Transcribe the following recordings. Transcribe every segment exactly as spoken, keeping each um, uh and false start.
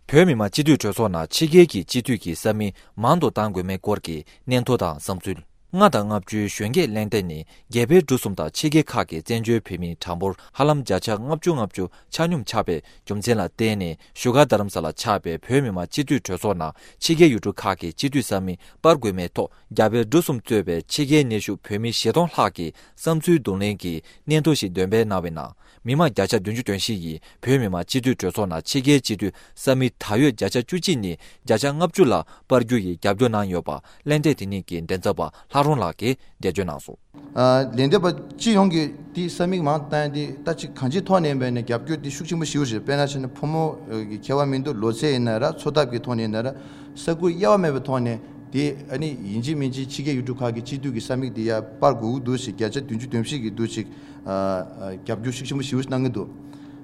བོད་མི་མང་སྤྱི་འཐུས་གྲོས་ཚོགས་ནང་ཕྱི་རྒྱལ་གྱི་སྤྱི་འཐུས་ཀྱི་ས་མིག་མང་དུ་གཏང་དགོས་མིན་སྐོར་གྱི་སྙན་ཐོ་དང་བསམ་ཚུལ། ལྔ་དང་ལྔ་བཅུའི་གཞོན་སྐྱེས་གླེང་སྟེགས་ནི་རྒྱ་བལ་འབྲུག་གསུམ་དང་ཕྱི་རྒྱལ་ཁག་གི་བཙན་བྱོལ་བོད་མིའི་གྲངས་འབོར་ཧ་ལམ་བརྒྱ་ཆ་ལྔ་བཅུ་ལྔ་བཅུ་ཆ་སྙོམས་ཆགས་པའི་རྒྱུ་མཚན་ལ་བརྟེན་ནས། བཞུགས་སྒར་རྡ་རམ་ས་ལར་ཆགས་པའི་བོད་མི་མང་སྤྱི་འཐུས་གྲོས་ཚོགས་ནང་ཕྱི་རྒྱལ་ཡུལ་གྲུ་ཁག་གི་སྤྱི་འཐུས་ས་མིག་སྤར་དགོས་མིན་ཐོག་རྒྱ་བལ་འབྲུག་གསུམ་གཙོས་པའི་ཕྱི་རྒྱལ་གནས་བཞུགས་བོད་མི་བཞི་སྟོང་ལྷག་གིས་བསམ་ཚུལ་བསྡུ་ལེན་གྱི་སྙན་ཐོ་ཞིག་འདོན་སྤེལ་གནང་བའི་ནང་། མི་མང་བརྒྱ་ཆ་བདུན་ཅུ་དོན་བཞི་ཡིས་བོད་མི་མང་སྤྱི་འཐུས་གྲོས་ཚོགས་ནང་ཕྱི་རྒྱལ་སྤྱི་འཐུས་ས་མིག་ད་ཡོད་བརྒྱ་ཆ་བཅུ་གཅིག་ནས་བརྒྱ་ཆ་ལྔ་བཅུ་ལ་སྤར་རྒྱུ་ཡི་རྒྱབ་སྐྱོར་གནང་ཡོད་པ། གླེང་སྟེགས་དེ་ཉིད་ཀྱི་མགྲིན་ཚབ་པ་ལྷ་རོང་ལགས་ཀྱིས་འགྲེལ་བརྗོད་གནང་སོང་། ཨ། ལན་འདེབས་པ་སྤྱི་ཡོངས་ཀྱིས་དེ་ས་མིག་མང་བཏང་དེ་ད་ཅིག་གང་ཅིའི་ཐོག་ནས་ཡིན་པ་ཡིན་ན་རྒྱབ་སྐྱོར་དེ་ཤུགས་ཆེན་པོ་ཞིག་རེད། དཔེར་ན་བྱས་ན་ཕོ་མོ་གི་ཁྱད་པར་མི་འདུག་ལོ་ཚད་ཡིན་ན་ར་འཚོ་ཐབས་ཀྱི་ཐོག་ནས་ཡིན་ན་ར་ས་ཁུལ་དབྱེ་བ་མེད་པའི་ཐོག་ནས་དེ་ཨ་ནི་ཡིན་གཅིག་མིན་གཅིག་ཕྱི་རྒྱལ་ཡུལ་གྲུ་ཁག་གི་སྤྱི་འཐུས་ཀྱི་ས་མིག་དེ་ཡར་སྤར་དགོས་ཀྱི་འདུག་ཞེས་བརྒྱ་ཆ་བདུན་ཅུ་དོན་བཞི་གི་འདུག་ཅིག་ཨ། རྒྱབ་སྐྱོར་ཤུགས་ཆེན་པོ་ཞེ་པོ་གནང་གི་འདུག་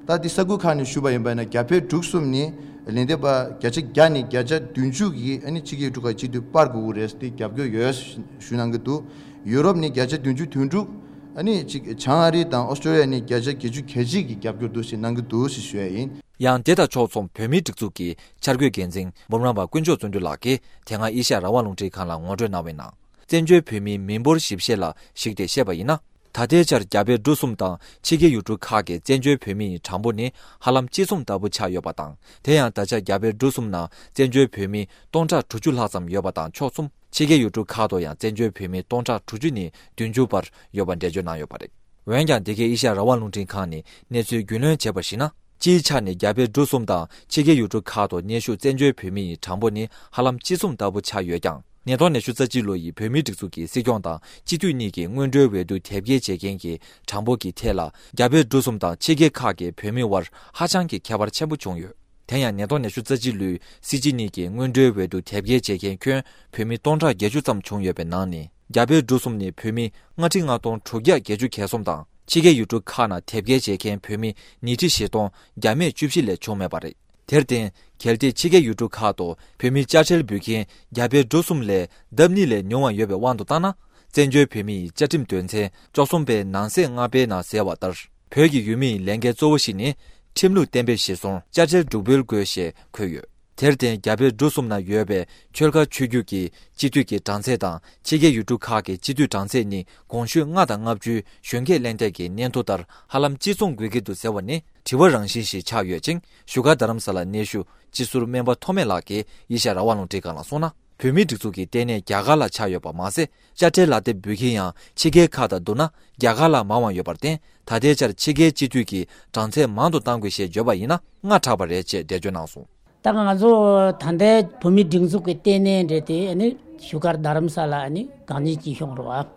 ད་དེ་ས་ཁུལ་ཁག་ནས་ཞུས་པ་ཡིན་པ་ན་རྒྱ་བལ་འབྲུག་གསུམ་ནི་ལན་འདེབས་པ་བརྒྱ་ཆ་བརྒྱ་ནས་བརྒྱ་ཆ་བདུན་ཅུ་གིས་ཨ་ནི་ཕྱི་རྒྱལ་ཡུལ་གྲུ་ཁག་སྤྱི་འཐུས་སྤར་དགོས་ཀྱི་རེད་དེ་རྒྱབ་སྐྱོར་ཡོད་ཞུ་གནང་གི་འདུག་ཡུ་རོབ་ནི་བརྒྱ་ཆ་བདུན་ཅུ་དོན་དྲུག་ཨ་ནི་གཅིག་བྱང་ཨ་རི་དང་ཨོ་སི་ཀྲོ་ལི་ཡ་ནི་བརྒྱ་ཆ་བརྒྱད་ཅུ་གྱ་གཅིག་གིས་རྒྱབ་སྐྱོར་འདུག་ཞེས་གནང་གི་འདུག་ཞེས་ཞུ་ཡ་ཡིན། ཡང་དེ་དང་ཕྱོགས་མཚུངས་བོད་མིའི་སྒྲིག་འཛུགས་ཀྱི་འཆར་འགོད་འགན་འཛིན་འབུམ་རམས་པ་དཀོན་མཆོག་བརྩོན་འགྲུས་ལགས་ཀྱིས་དེ་སྔ་ཨེ་ཤ་ཡ་རང་དབང་རླུང་འཕྲིན་ཁང་ལ་ངོ་སྤྲོད་གནང་བའི་ནང་། བཙན་བྱོལ་བོད་མིའི་མི་འབོར་ཞིབ་བཤེར་ལ་གཞིགས་ཏེ་བཤད་པ་ཡིན་ན། ད་ལྟའི་ཆར་རྒྱ་བལ་འབྲུག་གསུམ་དང་ཕྱི་རྒྱལ་ཡུལ་གྲུ་ཁག་གི་བཙན་བྱོལ་བོད་མི་ཡི་གྲངས་འབོར་ནི་ཧ་ལམ་གཅིག་མཚུངས་ལྟ་བུ་ཆགས་ཡོད་པ་དང་། དེ་ཡང་ད་ཆ་རྒྱ་བལ་འབྲུག་གསུམ་ནང་བཙན་བྱོལ་བོད་མི་སྟོང་ཕྲག་དྲུག་ཅུ་ལྷག་ཙམ་ཡོད་པ་དང་ཕྱོགས་མཚུངས། ཕྱི་རྒྱལ་ཡུལ་གྲུ་ཁག་ཏུ་ཡང་བཙན་བྱོལ་བོད་མི་སྟོང་ཕྲག་དྲུག་ཅུ་ནས་བདུན་ཅུ་བར་ཡོད་པ་འགྲེལ་བརྗོད་གནང་ཡོད་པ་རེད། འོན་ཀྱང་འདི་གའི་ཨེ་ཤ་ཡ་རང་དབང་རླུང་འཕྲིན་ཁང་ནས་གནས་ཚུལ་རྒྱུས་ལོན་བྱས་པར་གཞིགས་ན། སྤྱིའི་ཆ་ནས་རྒྱ་བལ་འབྲུག་གསུམ་དང་ཕྱི་རྒྱལ་ཡུལ་གྲུ་ཁག་ཏུ་གནས་བཞུགས་བཙན་བྱོལ་བོད་མི་ཡི་གྲངས་འབོར་ནི་ཧ་ལམ་གཅིག་མཚུངས་ལྟ་བུ་ཆགས་ཡོད་ཀྱང་། ཉིས་སྟོང་ཉི་ཤུ་རྩ་གཅིག་ལོ་ཡི་བོད་མིའི་སྒྲིག་འཛུགས་ཀྱི་སྲིད་སྐྱོང་དང་སྤྱི་འཐུས་གཉིས་ཀྱི་སྔོན་འགྲོའི་འོས་བསྡུ་དེབ་སྐྱེལ་བྱེད་མཁན་གྱི་གྲངས་འབོར་གྱི་ཐད་ལ། རྒྱ་བལ་འབྲུག་གསུམ་དང་ཕྱི་རྒྱལ་ཁག་གི་བོད་མི་དབར་ཧ་ཅང་གི་ཁྱད་པར་ཆེན་པོ་བྱུང་ཡོད། དེ་ཡང་ཉིས་སྟོང་ཉི་ཤུ་རྩ་གཅིག་ལོའི་སྲིད་སྤྱི་གཉིས་ཀྱི་སྔོན་འགྲོའི་འོས་བསྡུ་དེབ་སྐྱེལ་བྱེད་མཁན་ཁྱོན་བོད་མི་སྟོང་ཕྲག་བརྒྱད་ཅུ་ཙམ་བྱུང་ཡོད་པའི་ནང་ནས། རྒྱ་བལ་འབྲུག་གསུམ་ནི་བོད་མི་ལྔ་ཁྲི་ལྔ་སྟོང་དྲུག་བརྒྱ་བརྒྱད་ཅུ་གྱ་གསུམ་དང་། ཕྱི་རྒྱལ་ཡུལ་གྲུ་ཁག་ནང་དེབ་སྐྱེལ་བྱེད་མཁན་བོད་མི་ཉིས་ཁྲི་བཞི་སྟོང་བརྒྱ་མེད་བཅུ་བཞི་ལས་བྱུང་མེད་པ་རེད། དེར་བརྟེན། གལ་ཏེ་ཕྱི་རྒྱལ་ཡུལ་གྲུ་ཁག་ཏུ་བོད་མི་དཔྱ་ཁྲལ་འབུལ་མཁན་རྒྱ་བལ་འབྲུག་གསུམ་ལས་ལྡབ་གཉིས་ལས་ཉུང་བ་ཡོད་པའི་དབང་དུ་བཏང་ན། བཙན་བྱོལ་བོད་མི་ཡི་བཅའ་ཁྲིམས་དོན་ཚན་བཅུ་གསུམ་པའི་ནང་གསེས་ལྔ་པའི་ནང་གསལ་བ་ལྟར། བོད་ཀྱི་ཡུལ་མི་ཡི་ལས་འགན་གཙོ་བོ་ཞིག་ནི། ཁྲིམས་ལུགས་གཏན་འབེབས་གཞིར་བཟུང་དཔྱ་ཁྲལ་སྒྲུག་འབུལ་དགོས་ཞེས་འཁོད་ཡོད། དེར་བརྟེན། རྒྱ་བལ་འབྲུག་གསུམ་ན་ཡོད་པའི་ཆོལ་ཁ་ཆོས་བརྒྱུད་ཀྱི་སྤྱི་འཐུས་ཀྱི་གྲངས་ཚད་དང་། ཕྱི་རྒྱལ་ཡུལ་གྲུ་ཁག་གི་སྤྱི་འཐུས་གྲངས་ཚད་ནི། གོང་ཞུས་ལྔ་དང་ལྔ་བཅུའི་གཞོན་སྐྱེས་གླེང་སྟེགས་ཀྱི་སྙན་ཐོ་ལྟར་ཧ་ལམ་གཅིག་མཚུངས་དགོས་ཀྱི་འདུག་ཟེར་བ་ནི་དྲི་བ་རང་བཞིན་ཞིག་ཆགས་ཡོད་ཅིང་། བཞུགས་སྒར་རྡ་རམ་ས་ལར་གནས་བཞུགས་སྤྱི་ཟུར་སྨན་པ་ཐོགས་མེད་ལགས་ཀྱིས་ཨེ་ཤ་ཡ་རང་དབང་རླུང་འཕྲིན་ཁང་ལ་གསུངས་ན། བོད་མིའི་སྒྲིག་འཛུགས་ཀྱི་ལྟེ་གནས་རྒྱ་གར་ལ་ཆགས་ཡོད་པ་མ་ཟད། དཔྱ་ཁྲལ་ལག་དེབ་འབུལ་མཁན་ཡང་ཕྱི་རྒྱལ་ཁག་དང་བསྡུར་ན་རྒྱ་གར་ལ་མང་བ་ཡོད་པར་བརྟེན། ད་ལྟའི་ཆར་ཕྱི་རྒྱལ་སྤྱི་འཐུས་ཀྱི་གྲངས་ཚད་མང་དུ་གཏང་དགོས་ཞེས་བརྗོད་པ་ཡིན་ན་སྔ་དྲགས་པ་རེད་ཅེས་འགྲེལ་བརྗོད་གནང་སོང་། ད་ང་ཚོ་ད་ལྟའི་བོད་མིའི་སྒྲིག་འཛུགས་ཀྱི་ལྟེ་གནས་རེད་དེ། ཨ་ནི་བཞུགས་སྒར་རྡ་རམ་ས་ལ་ཨ་ནི་གང་ཉིད་ཀྱི་ཤོང་རོགས།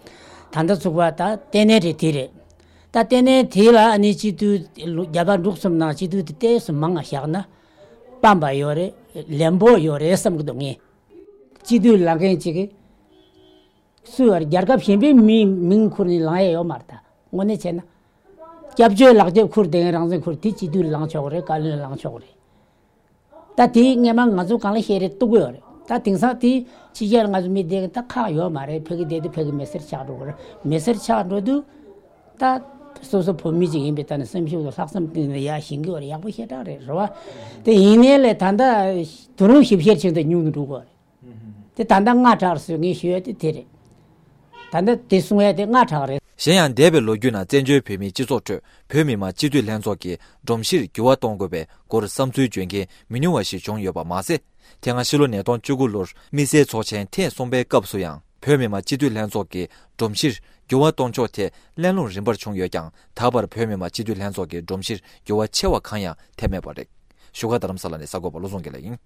ད་ལྟ་ཚུགས་པ་ད་ལྟེ་གནས་རེད་དེ་རེད། ད་ལྟེ་གནས་དེ་ལ་ཨ་ནི་སྤྱི་འཐུས་རྒྱ་བལ་འབྲུག་གསུམ་ནང་སྤྱི་འཐུས་དེ་ཏོག་ཙམ་མང་ང་བཞག་ན་སྤམ་པ་ཡོད་རེད། ལན་པོ་ཡོད་རེད་བསམ་གྱི་འདུག་ངས། སྤྱི་འཐུས་ལངས་མཁན་ཅིག་གིས་སུ་རྒྱལ་ཁབ་གཞན་པའི་མིའི་མིང་ཁུར་ནས་ལངས་ཡས་ཡོད་མ་རེད། ད་དངོས་གནས་བྱས་ན། སྐྱབས་བཅོལ་ལག་དེབ་ཁུར་བསྡད་མཁན་རང་བཙན་ཁུར་དེ་སྤྱི་འཐུས་ལངས་ཆོག་གི་རེད། བཀའ་བློན་ལངས་ཆོག་གི་རེད། ད་དེ་སྔས་མ་ང་ཚོ་གང་ལ་བཤད་རེད་གཏུག་གི་ཡོད་རེད། ད་དེང་སང་དེ་ཕྱི་རྒྱལ་ང་ཚོ་མི་བསྡད་མཁན་ད་ཁག་ཡོད་མ་རེད། ཕ་གི་བསྡད་དུས་ཕ་གི་མི་སེར་ཆགས་འགྲོ་གི་རེད། མི་སེར་ཆགས་འགྲོ་དུས་ད་སོ་སོ་བོད་མི་ཅིག་ཡིན་པའི་ཐོག་ནས་སེམས་ཤུགས་དང་ལྷག་བསམ་བཏོན་ནས་ཡར་ཞེན་གི་ཡོད་རེད། ཡག་པོ་ཞེ་དྲག་རེད། རེད་བ། དེ་ཡིན་ནའི་ལས་ད་ལྟ་དུས་རིམ་ཞིབ་བཤེར་བྱེད་དུས་ཉུང་དུ་འགྲོ་གི་ཡོད་རེད། དེ་ད་ལྟ་སྔ་དྲགས་སོང་། ངས་ཞུ་ཡ་དེ་དེ་རེད། ད་ལྟ་དེ་གསུང་ཡ་དེ་སྔ་དྲགས་རེད། གཞན་ཡང་འདས་པའི་ལོ་རྒྱུས་ནང་བཙན་བྱོལ་བོད་མིའི་སྤྱི་ཚོགས་ཁྲོད་བོད་མི་མང་སྤྱི་འཐུས་ལྷན་ཚོགས་ཀྱི་སྒྲོམ་གཞིར་འགྱུར་བ་གཏོང་དགོས་པའི་སྐོར་བསམ་ཚུལ་བརྗོད་མཁན་མི་ཉུང་བ་ཞིག་བྱུང་ཡོད་པ་མ་ཟད། དེ་སྔ་ཕྱི་ལོ་ཉིས་སྟོང་བཅུ་དགུ་ལོར་དམིགས་བསལ་ཚོགས་ཆེན་ཐེངས་གསུམ་པའི་སྐབས་སུ་ཡང་བོད་མི་མང་སྤྱི་འཐུས་ལྷན་ཚོགས་ཀྱི་སྒྲོམ་གཞིར་འགྱུར་བ་གཏོང་ཕྱོགས་ཐད་གླེང་སློང་རིམ་པར་བྱུང་ཡོད་ཀྱང་། ད་བར་བོད་མི་མང་སྤྱི་འཐུས་ལྷན་ཚོགས་ཀྱི་སྒྲོམ་གཞིར་འགྱུར་བ་ཆེ་བ་གང་ཡང་ཐེབས་མེད་པ་རེད། བཞུགས་སྒར་རྡ་རམ་ས་ལ་ནས་གསར་འགོད་པ་བློ་བཟང་དགེ་ལེགས་ཡིན།